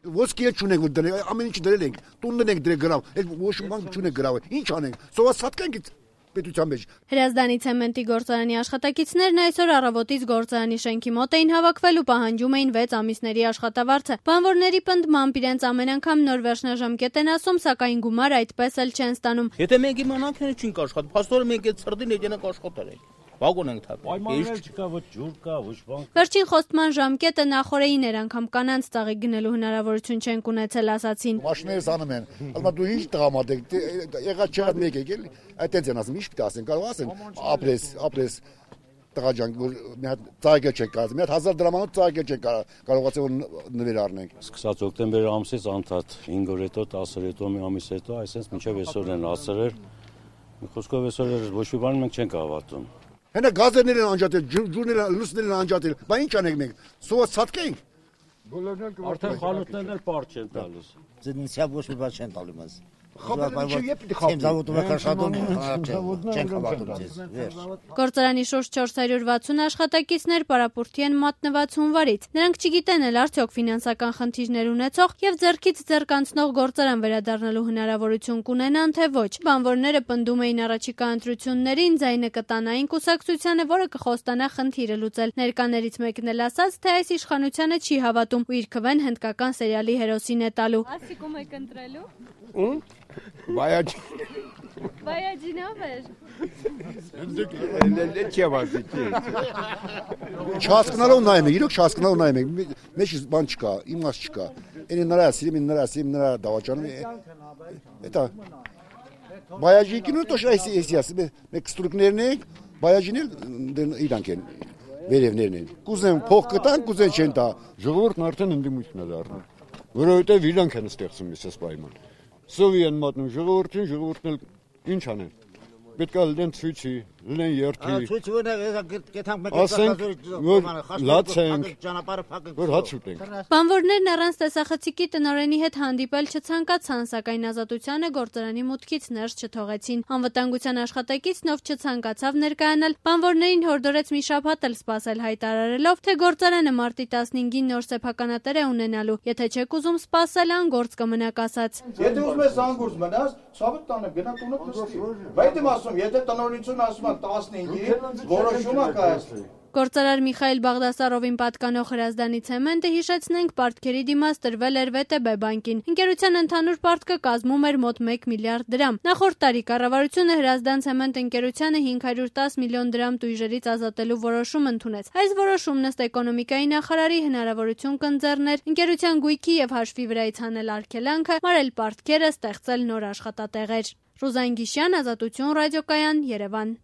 Ոսկի չունենք որ դրել, ամեն ինչ դրել ենք, տունն ենք դրել գրավ, այդ ոչ մի բան չունենք գրավ, ինչ անենք, սոված սատկենք պետության մեջ։ Հրազդանի ցեմենտի գործարանի աշխատակիցներն այսօր առավոտից գործարանի շենքի մոտ էին հավաքվել ու պահանջում էին 6 ամիսների աշխատավարձը։ Բանվորների պնդմամբ իրենց ամեն անգամ նոր վերջնաժամկետ են ասում, սակայն գումար այդպես էլ չեն ստանում։ Եթե մենք իմանանք, չենք աշխատի, փաստորեն մենք այդ սրդին եկնենք աշխատել ենք։ Վագոն ենք թափել։ Պայմաններ չկա, ոչ ջուր կա, ոչ բան։ Վերջին խոստման ժամկետը նախորդին էր, անգամ կանանց ծաղիկ գնելու հնարավորություն չեն ունեցել, ասացին։ Մաշիներս անում են, ասում դու ինչ տղամարդ ես, եղած չեղած մեկ եկել, այդտենց են ասում, ինչ պիտի ասեն, կարող ասեն, ապրես տղա ջան, որ մի հատ ծաղիկը չեք կարած, մի հատ 1000 դրամանոց ծաղիկը չեք կարողացել որ նվեր առնենք։ Սկսած օկտեմբեր ամսից անդադ 5 օր հետո, 10 օր հետո, մի ամիս հետո, այսպես մինչև այսօր են ասել, մի խոսքով այսօր ոչ մի բան մենք չենք հավատում։ Հենա գազերներ են անջատել, ջուրներ, լուսներ են անջատել, բա ինչ անենք մենք, սոված ցածկենք։ Արդեն խանութներն էլ պարզ չեն տալիս։ Ձնիսյա ոչ մի բան չեն տալու մեզ։ Գործարանի շուրջ 460 աշխատակիցներ պարապուրտի են մատնված հունվարից։ Նրանք չգիտեն էլ արդյոք ֆինանսական խնդիրներ ունեցող եւ ձեռքից ձեռք անցնող գործարան վերադառնալու հնարավորություն կունենան թե ոչ։ Բանվորները պնդում էին առաջիկա ընտրություններին ձայնը կտանային կուսակցությանը, որը կխոստանա խնդիրը լուծել։ Ներկաներից մեկն էլ ասաց, թե այս իշխանությանը չի հավատում ու իր քվեն հնդկական սերիալի հերոսին է տալու։ Ասիկում եք ընտրելու։ Բայաջինով էր։ Չհասկանալով նայում ենք, իրոք չհասկանալով նայում ենք, մեջ բան չկա, իմաստ չկա։ Էնի նրա սիրում, նրա դավաճանում։ Էտա բայաջի կինո տոշ այսի, մեկ ստրուկներն են, բայաջին էլ իրանք են, վերևներն են։ Կուզեն փող կտան, կուզեն չեն տա։ Ժողովուրդն արդեն ընդդիմություն է դառնում, որովհետև իրանք են ստեղծում այսպես պայման։ Սովի են մատնում ժողովուրդն էլ ինչ անեն։ Պետք է լինեն ցույցի, լինեն երթի։ Ասենք, որ լացենք, որ հաց ուտենք։ Բանվորներն առանց տեսախցիկի տնօրենի հետ հանդիպել չցանկացան, սակայն Ազատությանը գործարանի մուտքից ներս չթողեցին։ Անվտանգության աշխատակիցն ով չցանկացավ ներկայանալ, բանվորներին հորդորեց մի շաբաթ էլ սպասել, հայտարարելով, թե գործարանը մարտի 15-ին նոր սեփականատեր է ունենալու։ Եթե չեք ուզում սպասել, անգործ կմնաք ասաց։ Եթե ուզում ես անգործ մնաս, ցավը տանը գնա տունը նստի։ Բայց եմ ասում, եթե տնօրինությունը ասում է 15-ին, որոշումը կայացնի։ Գործարար Միխայել Բաղդասարովին պատկանող Հրազդանի ցեմենտը, հիշեցնենք, պարտքերի դիմաց տրվել էր ՎՏԲ բանկին։ Ընկերության ընդհանուր պարտքը կազմում էր մոտ 1 միլիարդ դրամ։ Նախորդ տարի կառավարությունը Հրազդան ցեմենտ ընկերությանը 510 միլիոն դրամ տույժերից ազատելու որոշում ընդունեց։ Այս որոշումն ըստ էկոնոմիկայի նախարարի հնարավորություն կընձեռներ ընկերության գույքի եւ հաշվի վրայից հանել արգելանքը, մարել պարտքերը, ստեղծել նոր աշխատատեղեր։ Ռուզան Գիշյան, Ազատություն ռադիոկայան, Երևան։